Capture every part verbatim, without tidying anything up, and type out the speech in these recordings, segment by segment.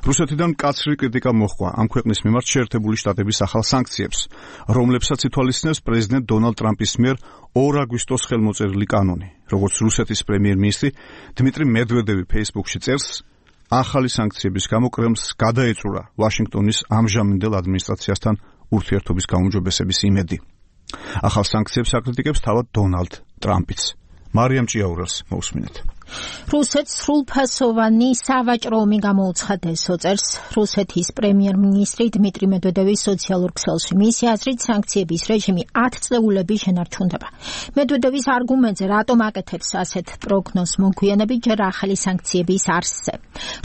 რუსეთიდან მკაცრი კრიტიკა მოჰყვა ამ ქვეყნის მიმართ შეერთებული შტატების ახალ სანქციებს, რომლებსაც ითვალისწინებს პრეზიდენტ დონალდ ტრამპის მიერ ორ აგვისტოს ხელმოწერილი კანონი. Როგორც რუსეთის პრემიერ-მინისტრი დმიტრი მედვედევი Facebook-ში წერს, ახალი სანქციების გამო კრემლს გადაეწურა ვაშინგტონის ამჟამინდელ ადმინისტრაციასთან ურთიერთობის გაუმჯობესების იმედი. ახალ სანქციებს აკრიტიკებს თავად დონალდ ტრამპიც. მარიამ ჭიაურელს მოусმინეთ. რუსეთს სრულფასოვანი სავაჭრო ომი გამოუცხადეს, წერს რუსეთის პრემიერ-მინისტრი დმიტრი მედვედევის სოციალურ ქსელში. მისი აზრით, სანქციების რეჟიმი ათ წლეულები შენარჩუნდება. მედვედევის არგუმენტზე, რატომ აკეთებს ასეთ პროგნოზს მოგვიანებით ჯერ ახალი სანქციების არსზე.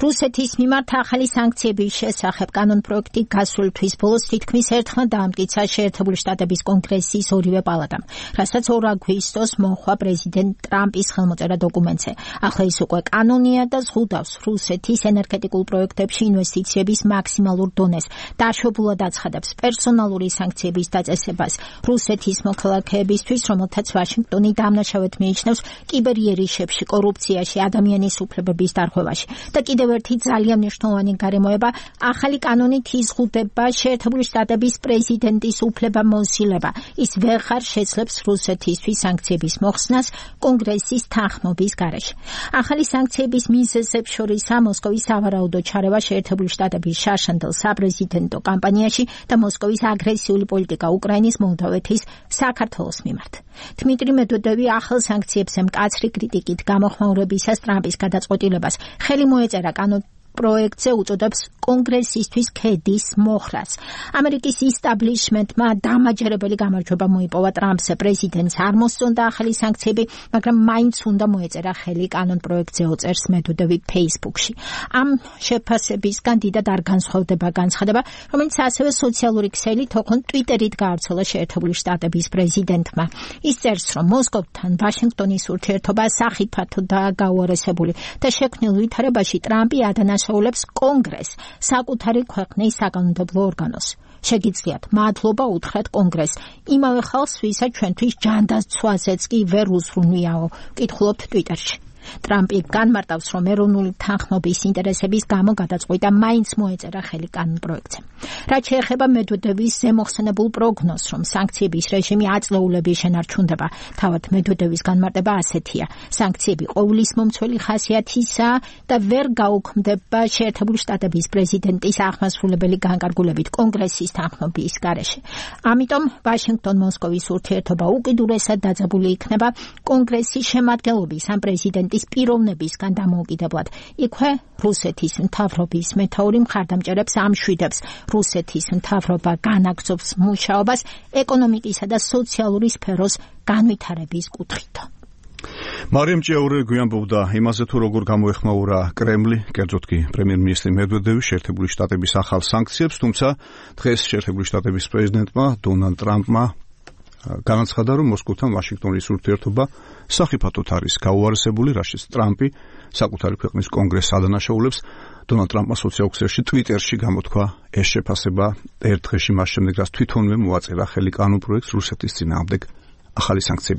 რუსეთის მიმართ ახალი სანქციების შესახებ კანონპროექტი გასული თვის ბოლოს თითქმის ერთხმად დაამტკიცა შეერთებული შტატების კონგრესის ორივე პალატამ, რასაც ორ აგვისტოს მოჰყვა პრეზიდენტ ტრამპის ხელმოწერა დოკუმენტზე. ახლა ის უკვე კანონია და ზღუდავს რუსეთის ენერგეტიკულ პროექტებში ინვესტიციების მაქსიმალურ დონეს. დაშვებულად აცხადებს პერსონალური სანქციების დაწესებას რუსეთის მოქალაქეებისთვის, რომელთაც ვაშინგტონი დამნაშავედ მიიჩნევს კიბერიერიშებში, კორუფციაში, ადამიანის უფლებების დარღვევაში. და კიდევ ერთი ძალიან მნიშვნელოვანი გარემოება, ახალი კანონით იზღუდება შეერთებული შტატების პრეზიდენტის უფლებამოსილება. ის ვეღარ შეძლებს რუსეთისთვის სანქციების მოხსნას კონგრესის თანხმობის გარეშე. ახალი სანქციების მიზეზებს შორისაა მოსკოვის სავარაუდო ჩარევა შეერთებული შტატების შარშანდელ საპრეზიდენტო კამპანიაში და მოსკოვის აგრესიული პოლიტიკა უკრაინის, მოლდოვეთის, საქართველოს მიმართ. დმიტრი მედვედევი ახალ სანქციებზე მკაცრი კრიტიკით გამოხმაურებისას ტრამპის გადაწყვეტილებას ხელი მოეწერა კანონ პროექტზე უწოდებს კონგრესისთვის ქედის მოხრას. ამერიკის ისტაბლიშმენტმა დამაჯერებელი გამარჯვება მოიპოვა ტრამპს, პრეზიდენტს არ მოსწონდა ახალი სანქციები, მაგრამ მაინც უნდა მოეწერა ხელი კანონ პროექტზე, წერს მედვედევი Facebook-ში. ამ შეფასებისგან დიდად არ განსხვავდება განცხადება, რომელიც ასევე სოციალური ქსელი თოქონ Twitter-ით გაავრცელა შეერთებული შტატების პრეზიდენტმა. ის წერს, რომ მოსკოვთან ვაშინგტონის ურთიერთობა სახიფათოდაა გაუარესებული და შექმნილ ვითარებაში ტრამპი ადანაშაულებს კონგრესს, საკუთარი ქვეყნის საკანონმდებლო ორგანოს. შეგიძლიათ მადლობა უთხრათ კონგრესს, იმავე ხალხს, ვისაც ჩვენთვის ჯანდაცვაზეც კი ვერ უსრუნვიაო, კითხულობთ Twitter-ში. ტრამპი განმარტავს, რომ ეროვნული თანხმობის ინტერესების გამო გადაწყვიტა მაინც მოეწერა ხელი კანონპროექტზე. რაც შეეხება მედვედევის ზემოხსენებულ პროგნოზს, რომ სანქციების რეჟიმი აწლეულები შენარჩუნდება, თავად მედვედევის განმარტება ასეთია: სანქციები ყოვლისმომცველი ხასიათისაა და ვერ გაუქმდება შეერთებული შტატების პრეზიდენტის აღმასრულებელი განკარგულებით კონგრესის თანხმობის გარეშე. ამიტომ ვაშინგტონ-მოსკოვის ურთიერთობა უკიდურესად დაძაბული იქნება კონგრესის შემადგენლობის ან პრეზიდენტის პიროვნებისგან დამოუკიდებლად. იქვე რუსეთის მთავრობის მეთაური მხარდამჭერებს ამშვიდებს რუსეთის მთავრობა განაგრძობს მუშაობას ეკონომიკისა და სოციალური სფეროს განვითარების კუთხით. მარიამ ჭიაურელი გვიანბობდა იმაზე, თუ როგორ გამოეხმაურა კრემლი, კერძოდ კი პრემიერ-მინისტრი მედვედევი შეერთებული შტატების ახალ სანქციებს, თუმცა დღეს შეერთებული შტატების პრეზიდენტმა დონალდ ტრამპმა განაცხადა, რომ მოსკოვთან ვაშინგტონის ურთიერთობა სახიფათოდ არის გაუარესებული, რაშიც ტრამპი საკუთარი ქვეყნის კონგრესს ადანაშაულებს. დონალდ ტრამპმა სოციალურ ქსელში Twitter-ში გამოთქვა ეს შეფასება ერთ დღეში მას შემდეგ, რაც თვითონვე მოაწერა ხელი კანონპროექტს რუსეთის წინააღმდეგ ახალი სანქციების